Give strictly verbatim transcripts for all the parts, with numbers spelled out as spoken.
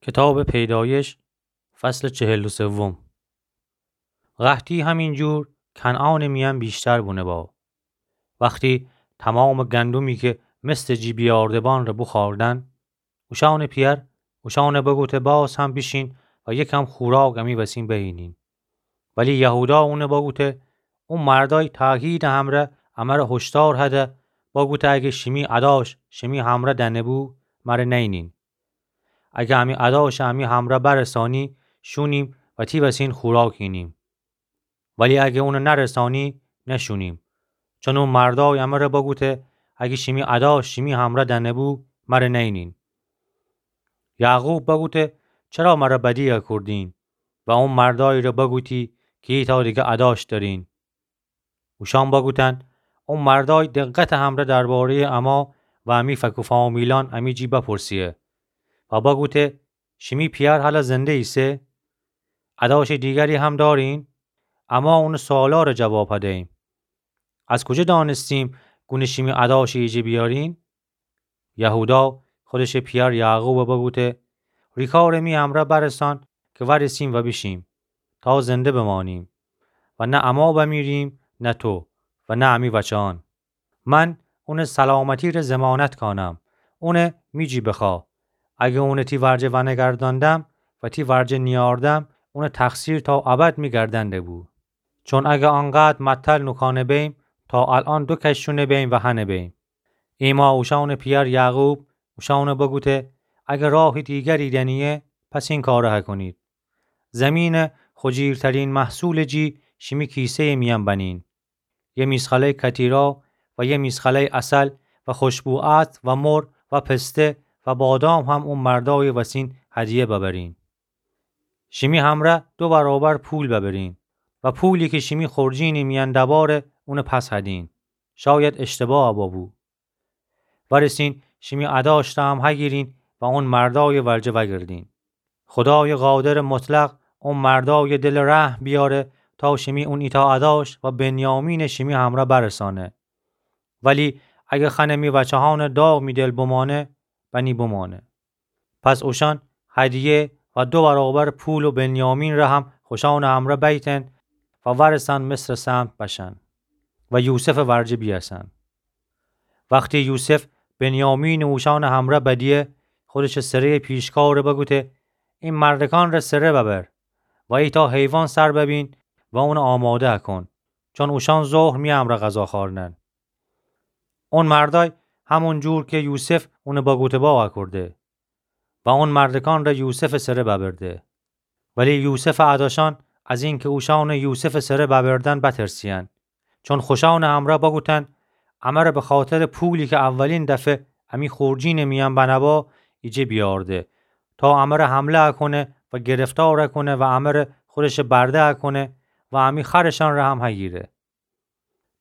کتابٚ پیدایش، فصلٚ چهل و سوم. قحطی همین جور کنعانٚ میأن بیشتر بونه با. وختی تومامٚ گندمی کی مستٚ جی بیأرده بان ره بوخوردن، اوشأنٚ پیأر اوشأنه بگوته باز هم بیشین و یکم خوراک امی وسین بهینین. ولی یهودا اونه بگوته، او مردأی تأکیدٚ همرأ امره هشدار هده، بگوته اگه شیمی اداش شیمی همرأ دأنه‌بو، مره نینین. اگه امی اداش امی همرأ برسانی، شونیم و تی وسین خوراک اینیم. ولی اگه اونه نرسانی، نشونیم. چون او مردأی امره بگوته، اگه شیمی اداش شیمی همرأ دأنه‌بو، مره نینین. یعقوب بگوته، چرا مره بدی اکردین؟ و او مردأیی ره بگوتی کی ایتأ دیگه اداش دأرین. اوشأن بگوتن، او مردأی دقتٚ همرأ درباره‌یٚ اما و امی فک و فامیلأن امی جی بپرسیه و بگوته، شیمی پیأر هلأ زنده ایسه؟ اداشٚ دیگری هم دأرین؟ اما اونٚ سؤالا ره جواب هده‌ییم. از کوجه دأنستیم گونه شیمی اداش ایجه بیأرین؟ یهودا خودشٚ پیأر یعقوب بگوته، ریکارٚ می امرأ برسان کی وأرسیم و بیشیم، تا زنده بمأنیم و نه اما بمیریم، نه تو و نه امی وچه‌أن. من اونٚ سلامتی ره ضمانت کانم. اونه می جی بخوأ. اگه اونه تی ورجه ونگردأندم و تی ورجه نیأردم، اونٚ تقصیر تا ابد می گردن دبو. چون اگه آنقدر متل نوکأنه بیم، تا الأن دو کش شونه بیم و هنه بیم. ایمأ اوشأنٚ پیأر یعقوب اوشأنه بگوته، اگه راهٚ دیگری دأنیه، پس این کاره هکونید. زمینٚ خوجیرترین محصولٚ جی شیمی کیسه‌یٚ میأن بنین. یه میزخله‌یٚ کتیرا و یه میزخله‌یٚ عسل و خوشبو عطر و مر و پسته و بادام هم او مردأیٚ وسین هدیه ببرین. شیمی همرأ دو برابر پول ببرین و پولی کی شیمی خورجینٚ میأن دبأره اونه پس هدین. شاید اشتباه ببو. وأرسین شیمی اداشت هم هگیرین و اون مردأیٚ ورجه وأگردین. خودایٚ قادرٚ مطلق او مردأیٚ دلٚ رحم بیأره تا شیمی اون ایتأ اداشت و بنیامینٚ شیمی همرأ برسأنه. ولی اگه خأنه می وچه‌هأنٚ داغ می دل بمأنه، بنی بمأنه. پس اوشأن هدیه و دو برابر پول و بنیامین ره هم خوشأنٚ همرأ بیتن و وأرسن مصرٚ سمت بشن و یوسفٚ ورجه بیأسن. وختی یوسف بنیامینٚ اوشأنٚ همرأ بدیه، خودشٚ سره‌یٚ پیشکاره بگوته، این مردکأن ره سره ببر و ایتأ حیوان سر ببین و اونه آماده کون، چون اوشأن ظهر می امرأ غذا خوأرنن. اون مردأی همون جور کی یوسف اونه بگوته با اکرده و اون مردکأن ره یوسفٚ سره ببرده. ولی یوسفٚ اداشأن از اینکی اوشأنٚ یوسفٚ سره ببردن بترسیأن، چون خوشأنٚ همرأ بگوتن، امره بخاطرٚ پولی کی اولین دفعه امی خورجینٚ میأن بنه با ایجه بیأرده، تا امره حمله اکونه و گرفتار اکونه و امره خودشٚ برده اکونه و امی خرشأن ره هم هگیره.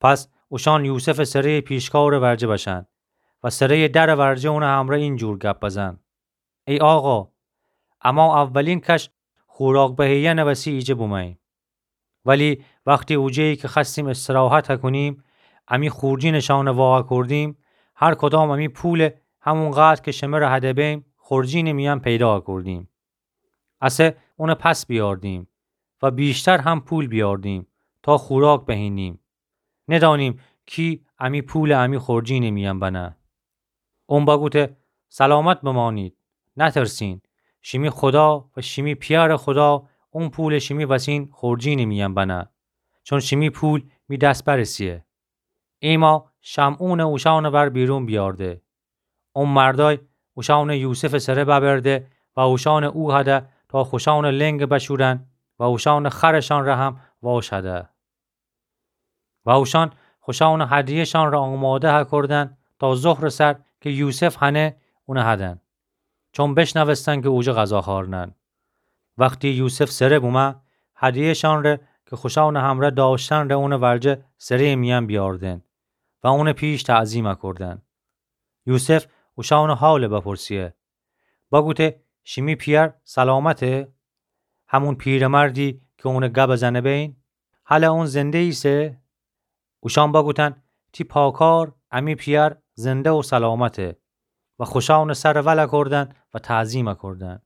پس اوشأن یوسفٚ سره‌یٚ پیشکارٚ ورجه بشن و سره‌یٚ درٚ ورجه اونٚ همرأ این جور گپ بزن، ای آقا، اما اولین کش خوراک بهیأنٚ وسی ایجه بومأییم. ولی وختی اوجه‌یی کی خوأستیم استراحت اکونیم، امی خورجینٚ شأنه وا اکردیم، هر کدام امی پوله همونقدر کی شمره هده بیم خورجینٚ میأن پیدا اکردیم. اسه اونه پس بیأردیم و بیشتر هم پول بیأردیم تا خوراک بهینیم. ندأنیم کی امی پوله امی خورجینٚ میأن بنه. اون بگوته، سلامت بمأنید، نترسین. شیمی خودا و شیمی پیأرٚ خودا اون پوله شیمی وسین خورجینٚ میأن بنه، چون شیمی پول می دس برسیه. ایمأ شمعونٚ اوشأنٚ ور بیرون بیأرده. اون مردأی اوشأنٚ یوسفٚ سره ببرده و اوشأنٚ او هده تا خوشأنٚ لنگٚ بشورن و اوشأنٚ خرشأن ره هم واش هده. و اوشأن خوشأنٚ هدیه‌شأن ره آماده هکردن تا ظهرٚ سر کی یوسف هنه اونه هدن، چون بشنوستن کی اوجه غذا خوأرنن. وختی یوسف سره بومه، هدیه‌شأن ره کی خوشأنٚ همرأ دأشتن ره اونٚ ورجه سره‌یٚ میأن بیأردن و اونٚ پیش تعظیم اکردن. یوسف اوشأنٚ حاله بپرسیه. بگوته، شیمی پیأر سلامته؟ همون پیرمردی کی اونه گب زنه بین؟ هلأ اون زنده ایسه؟ اوشأن بگوتن، تی پاکار امی پیأر زنده و سلامته. و خوشأنٚ سر ول اکردن و تعظیم اکردن.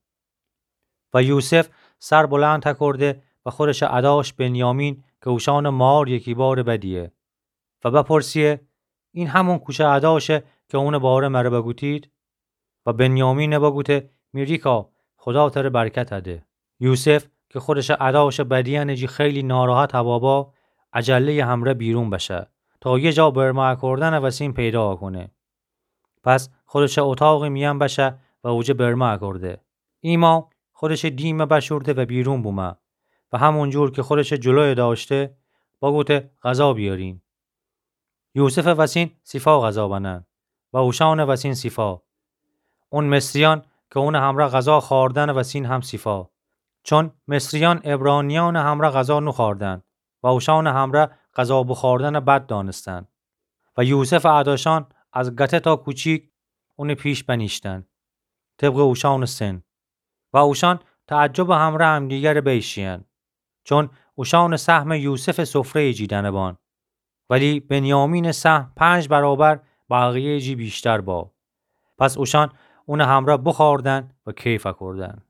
و یوسف سر بلند تکرده و خودشٚ اداش بنیامین کی اوشأنٚ مار یکی بارٚ بدیه و بپرسیه: این همون کوچه اداشه کی اونٚ باره مره بگوتید؟ و بنیامین بگوته: می ریکا، خودا تره برکت ده. یوسف کی خودشٚ اداشٚ بدیأنٚ جی خیلی ناراحت ببا، عجله‌یٚ همره بیرون بشه تا یه جا برمه اکردنٚ وسین پیدا اکونه. پس خودشٚ اتاقٚ میأن بشه و اوجه برمه اکرده. ایما خودشٚ دیمه بشورده و بیرون بومه و همون جور کی خودشٚ جلویه داشته، بگوته: غذا بیارین. یوسفٚ وسین سیفا غذا بنن و اوشأنٚ وسین سیفا. اون مصریأن کی اونٚ همره غذا خوأردنٚ وسین هم سیفا. چون مصریأن عبرانیأنٚ همره غذا نوخوأردن و اوشأنٚ همره غذا بوخوأردنٚ بد دأنستن. و یوسفٚ اداشأن از گته تا کوچیک اونٚ پیش بنیشتن، طبقٚ اوشأنٚ سن. و اوشأن تعجبٚ همره همدیگره بیشیین، چون اوشأنٚ سهمٚ یوسفٚ سفره‌یٚ جی دأنه بان. ولی بنیامینٚ سهم پنج برابر بقیه‌یٚ جی ویشتر با. پس اوشأن اونٚ همره بوخوأردن و کیف اکردن.